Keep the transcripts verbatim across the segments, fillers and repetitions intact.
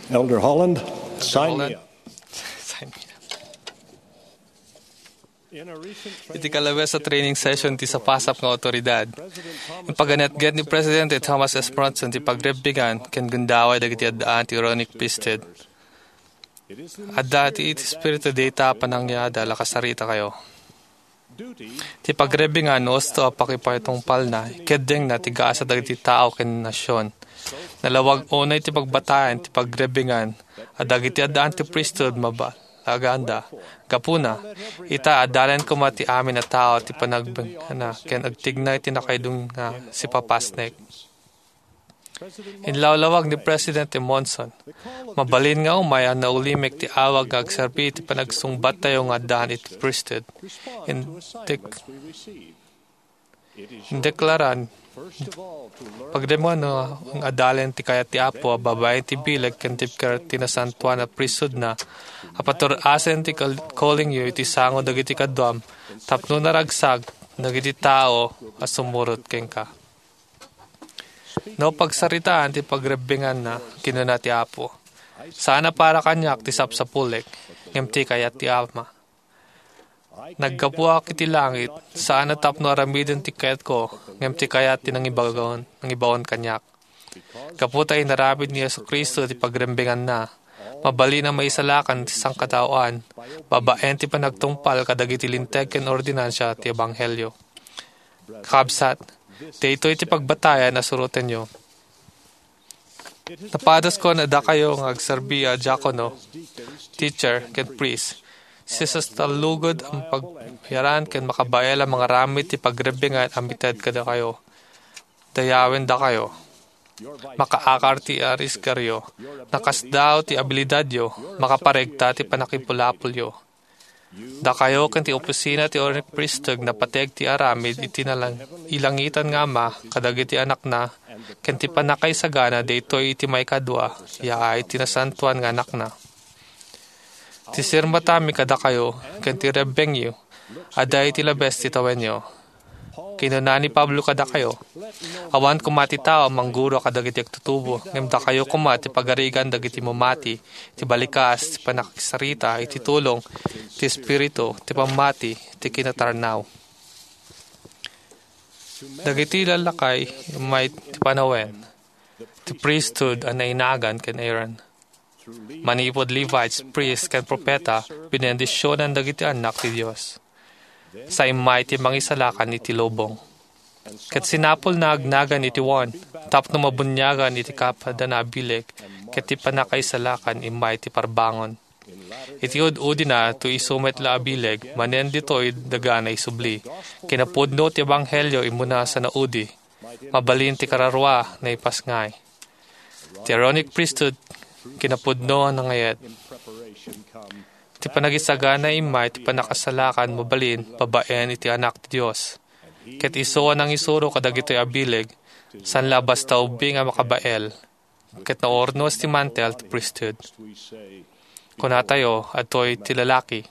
Elder Holland, sign me up. Sign me up. Iti kalabes a training session ti sapasap nga awtoridad, impaganetget ni Presidente Thomas S. Monson ti pagrebbingan ken gundaway dagiti addaan ti Aaronic Priesthood. Adda ti iti Espiritu dayta a panangyadal a kasarita kayo. Ti pagrebbingan no usto a pakipatungpalna, ikeddengna ti gasat dagiti tao ken nasion. Nalawag unay ti pagbatayan ti pagrebbingan a dagiti addaan ti priesthood mabalaganda. Gapuna, ita, adalen koma ti amin a tao ti panagbenngana ken agtigna iti nakaidun nga sipapasnek. Inlawlawag ni Presidente Monson, mabalin nga umay a naulimek ti awag nga agserbi iti panagsungbattayo nga addaan iti priesthood. Indek-, indeklaran, pagdemon nga adalen ti kayat ti Apo a babaen ti bileg ken ti piker ti nasantoan a priesthoodna, a patur-asen ti kal-, callingyo iti sango dagiti kaduam tapno naragsak dagiti tao a sumurot kenka. No pagsaritaan ti pagrebbinganna, kinuna ti Apo, saan a para kaniak ti sapsapulek, ngem ti kayat ti Ama. Naggapuak iti langit, saan a tapno aramiden ti kayatko, ngem ti kayat ti nangibaon, nangibaon kaniak. Gapu ta inaramid ni Jesu-Cristo ti pagrebbinganna, mabalin a maisalakan ti sangkataoan, babaen ti panagtungpal kadagiti linteg ken ordinansa ti ebanghelio. Kakabsat, daytoy ti pagbatayan a surotenyo. Napadaskon a dakayo nga agserbi a diakono, teacher, ken priest. Sisas ta lugod a pagbayaran ken makabael a mangaramid ti pagrebbingan a mited kadakayo. Dayawen dakayo. Makaakar ti arisgaryo. Nakasdaaw ti abilidadyo. Makaparegta ti pannakipulapolyo. Dakayo ken ti opisina ti Aaronic Priesthood napateg ti aramid iti nalang-, ilangitan nga Ama kadagiti anakna, ken ti pannakaisagana daytoy iti maikadua, yaay ti nasantoan nga anakna. Ti sirmatami kadakayo, ken ti rebbengyo, adda iti labes ti tawenyo. Kinuna ni Pablo kadakayo, awan koma ti tao a mangguro kadagiti agtutubo, ngem dakayo koma ti pagarigan dagiti mamati, ti balikas, ti pannakisarita iti tulong, ti espiritu, ti pammati, ti kinatarnaw. Dagiti lallakay, immay ti panawen, ti priesthood a nainagan ken Aaron. Manipud Levites, priest, ken propeta, binendisionan dagiti annak ti Dios. Sa immay ti mangisalakan iti lubong. Ket sinapulna agnagan iti wan, tapno mabuniagan iti kapadana a bileg, ket ti pannakaisalakan immay ti parbangon. Iti ud-udina, to isu met la a bileg, manen ditoy daga naisubli. Kinapudno ti ebanghelio immuna sa naudi. Mabalin ti kararua, naipasngay. Ti Aaronic Priesthood, kinapudno a nangayat. Ti panagisagana immay ti pannakasalakan mabalin babaen iti Anak ti Dios. Ket isu a nangisuro kadagitoy a bileg, saan la a basta ubbing a makabael, ket naurnos ti mantel ti priesthood. Kunatayo, adtoy ti lalaki.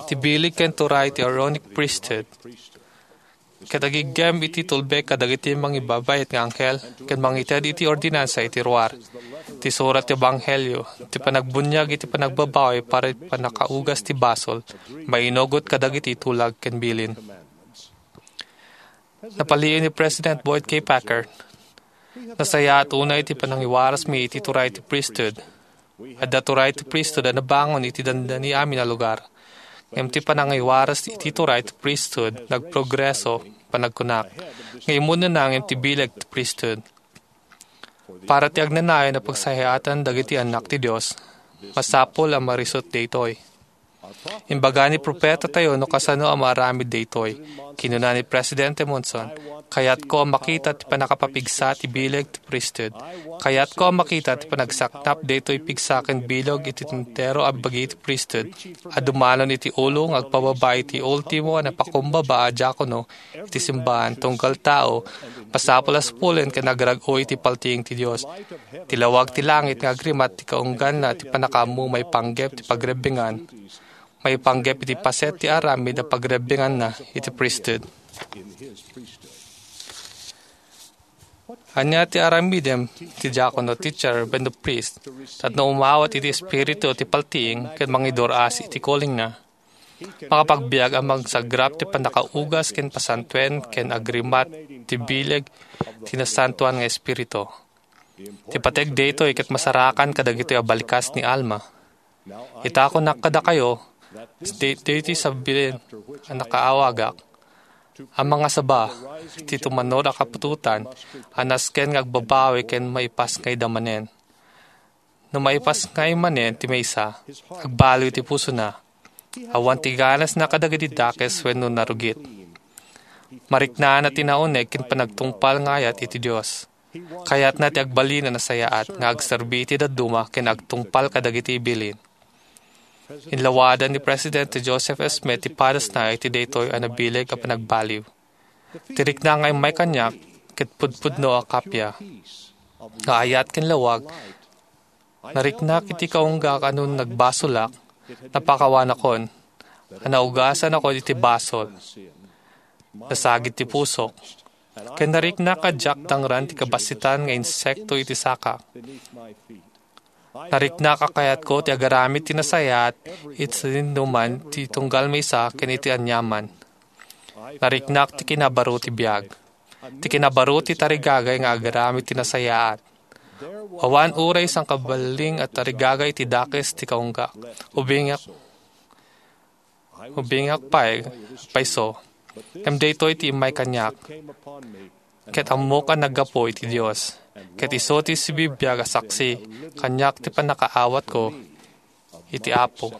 Ti bileg ken turay ti Aaronic Priesthood, ket agiggem iti tulbek kadagiti mangibabayet nga anghel ken mangited iti ordinansa iti ruar. Ti surat ti ebanghelio, ti panagbuniag iti panagbabawi para iti pannakaugas ti basol, mainugot kadagiti tulag ken bilin. Napalien ni President Boyd K. Packer, nasayaat unay ti panangiwarasmi iti turay ti priesthood. Adda turay ti priesthood a nabangon iti dandani amin a lugar. Ngem ti panangiwaras iti turay ti priesthood nagprogreso, panagkunak, nga immunana ngem ti bileg ti priesthood. Para ti agnanayon a pagsayaatan dagiti annak ti Dios, masapul a marisut daytoy. Imbaga ni propeta tayo no kasano a maaramid daytoy. Kinuna ni Presidente Monson, "Kayatko a makita ti pannakapapigsa ti bileg ti priesthood. Kayatko a makita ti panagsaknap daytoy pigsa ken bileg iti entero a bagi ti priesthood a dumalon iti ulo nga agpababa iti ultimo a napakumbaba a diakono iti simbahan tunggal tao, masapul a sapulen ken agrag-o iti paltiing ti Dios. Ti lawag ti langit nga agrimat ti kaungganna ti pannakaammo maipanggep ti pagrebbingan, maipanggep iti paset ti aramid a pagrebbinganna iti priesthood." Ania ti aramidem ti diakono, teacher, wenno priest tapno umawat iti espiritu ti paltiing ken mangidur-as iti callingna? Makapagbiag a mangsagrap ti pannakaugas ken pasantoen ken agrimat ti bileg ti Nasantoan nga Espiritu. Ti pateg daytoy ket masarakan kadagitoy a balikas ni Alma. Ita, kunak kadakayo, daytoy ti sabien a nakaawagak, a mangasaba ti tumannur a kaputotan a nasken nga agbabawi ken maipasngayda manen. No maipasngay manen ti maysa, agbaliw ti pusona. Awan ti ganasna kadagiti dakes wenno narugit. Mariknana ti nauneg ken panagtungpal nga ayat iti Dios. Kayatna ti agbalin a nasayaat nga agserbi iti dadduma ken agtungpal kadagiti bilin. Inlawadan ni Presidente Joseph F. Smith ti padasna iti daytoy a nabileg a panagbaliw. Ti rikna nga immay kaniak ket pudpudno a kappia nga ayat ken lawag. Nariknak iti kaunggak a no nagbasolak, napakawanakon, a naugasanakon iti basol. Nasagid ti pusok, ken nariknak a diak dangran ti kabassitan nga insekto iti sakak. Nariknak a kayatko ti agaramid ti nasayaat iti sadinoman ti tunggal maysa ken iti aniaman. Nariknak ti kinabaro ti biag, ti kinabaro ti tarigagay nga agaramid ti nasayaat. Awan uray sangkaballing a tarigagay iti dakes ti kaunggak. Ubingak, ubingak pay, payso. Ngem daytoy ti immay kaniak. Ket ammok a naggapu iti Dios. Ket isu ti sibibiag a saksi kaniak ti pannakaawatko iti Apo.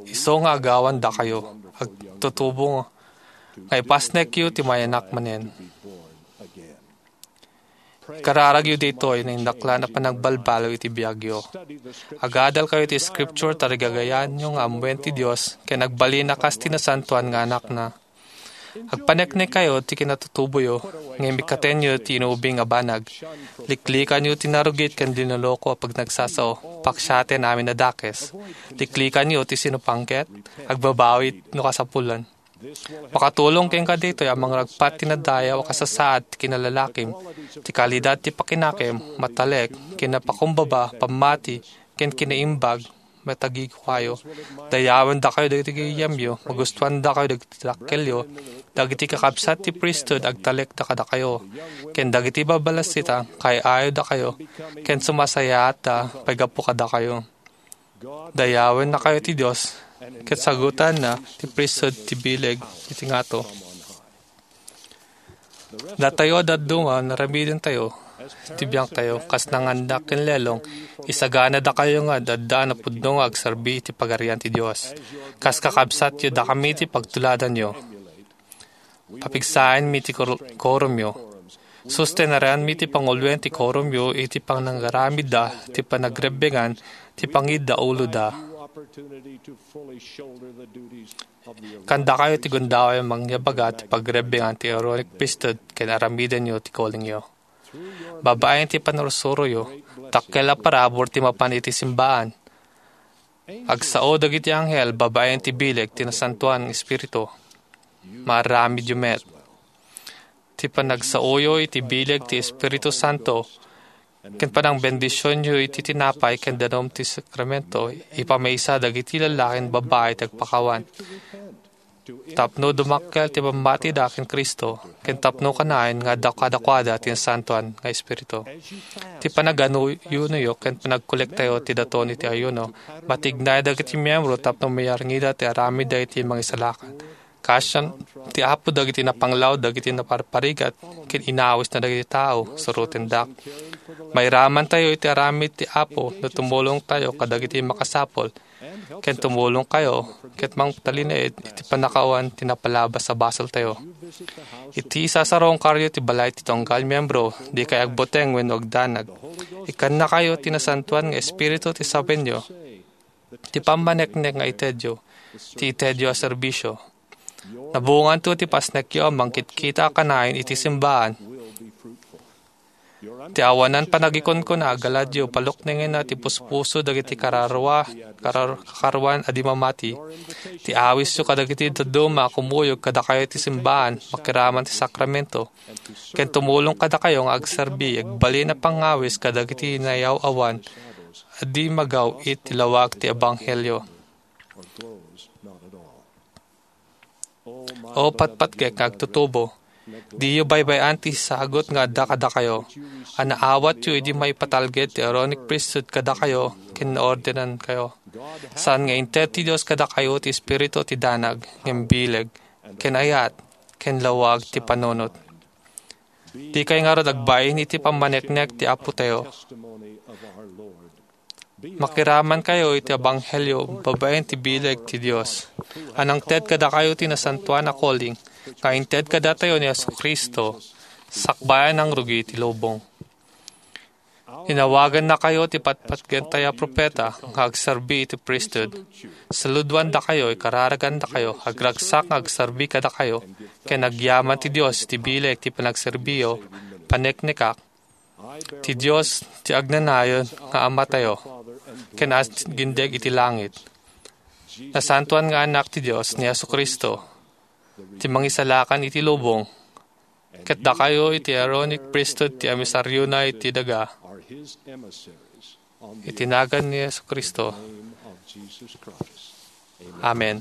Isu nga agawan dakayo, agtutubo nga ipasnekyo ti mayanak manen. Kararagyo ditoy nga indaklan a panagbalbaliw iti biagyo. Agadalkayo iti Scripture, tarigagayanyo nga ammuen ti Dios, ken agbalin a kas ti nasantoan nga anakna. Agpaneknekkayo ti kinatutuboyo, ngem ikkatenyo ti inubing a banag. Liklikanyo ti narugit ken dinaloko a pagnagsasao, paksiaten amin a dakes. Liklikanyo ti sinupangket, agbabawi no kasapulan. Makatulong kenka ditoy a mangragpat ti nadayaw a kasasaad ti kinalalakim, ti kalidad ti pakinakem, matalek, kinapakumbaba, pammati, ken kinaimbag, matagikukayo. Dayawen dakayo dagiti gayyemyo, magustuan dakayo dagiti dakkelyo, dagiti kakabsat ti priesthood agtalek da kadakayo, ken dagiti babalasit a kay-ayo dakayo, ken sumasayaat da pay gapu kadakayo. Dayawen nakayo ti Dios, ket sagutanna ti priesthood ti bileg iti ngato. Datayo a dadduma, naramidentayo ti biangtayo, kas nangandak ken lelong, isagana dakayo nga adda a napudno nga agserbi iti Pagarian ti Dios. Kas kakabsatyo, dakami ti pagtuladanyo. Papigsaenmi ti kor-, korumyo. Sustenarianmi ti panguluen ti korumyo iti panangaramidda ti panagrebbengan ti pangidda uloda. Kandakayo ti gundaway a mangyabaga ti pagrebbengan ti Aaronic Priesthood ken aramidenyo ti callingyo. Babaen ti panursuroyo, dakkel a parabur ti mapan iti simbaan. Agsao dagiti anghel babaen ti bileg ti Nasantoan nga Espiritu. Maaramidyo met. Ti panagsaoyo iti bileg ti Espiritu Santo ken panangbendisionyo iti tinapay ken danum ti sakramento, ipamaysa dagiti lallaki ken babbai ti agpakawan. Tapno dumakkel ti pammatida ken Cristo, ken tapno kanayon nga adda kadakuada ti Nasantoan nga Espiritu. Ti panaganuyonayo ken panagkolektayo ti daton iti ayuno, matignay dagiti miyembro tapno mayarngida ti aramidda iti mangisalakan. Kaasian ti Apo dagiti napanglaw dagiti naparparigat ken inawisna dagiti tao, surotendak. Mairamantayo iti aramid ti Apo no tumulongtayo kadagiti makasapul, ken tumulongkayo ket mangtalinaed iti pannakawan ti napalabas a basoltayo. Iti isasarungkaryo ti balay ti tunggal miyembro, dikay agbuteng wenno agdanag. Ikkannakayo ti Nasantoan nga Espiritu ti sawenyo, ti pammaneknek nga itedyo, ti itedyo a serbisio. Nabunganto ti pasnekyo a mangkitkita a kanayon iti simbaan. Ti awanan panagikunkuna, galadyo, paluknengenna ti puspuso dagiti kararua, karar-, kakaruan a di mamati. Ti awisyo kadagiti dadduma a kumuyog kadakayo ti simbaan, makiraman ti sakramento, ken tumulong kadakayo nga agserbi, agbalin a pangawis kadagiti nayaw-awan a di magaw-it ti lawag ti ebanghelio. O patpatgek nga agtutubo, diyo baybay-an ti sagut nga adda kadakayo a naawatyo idi maipatalged ti Aaronic priesthood kadakayo ken naordenankayo. Saan nga inted ti Dios kadakayo ti Espiritu ti danag, ngem bileg, ken ayat, ken lawag ti panunot. Dikay ngarud agbain iti pammaneknek ti Apotayo. Makiramankayo iti ebanghelio babaen ti bileg ti Dios a nangted kadakayo ti nasantoan a calling nga inted kadatayo ni Jesu-Cristo sakbay a nangrugi ti lubong. Inawagannakayo ti patpatgentayo a propeta nga agserbi iti priesthood. Saludoandakayo, ikararagandakayo, agragsak nga agserbi kadakayo, ken agyaman ti Dios iti bileg ti panagserbiyo, paneknekak, ti Dios ti agnanayon nga Amatayo, ken agindeg iti langit. Nasantoan nga Anak ti Dios ni Jesu-Cristo, ti Mangisalakan iti lubong, ket dakayo iti Aaronic priesthood ti emisariona iti daga. Iti nagan ni Jesu-Cristo. Amen.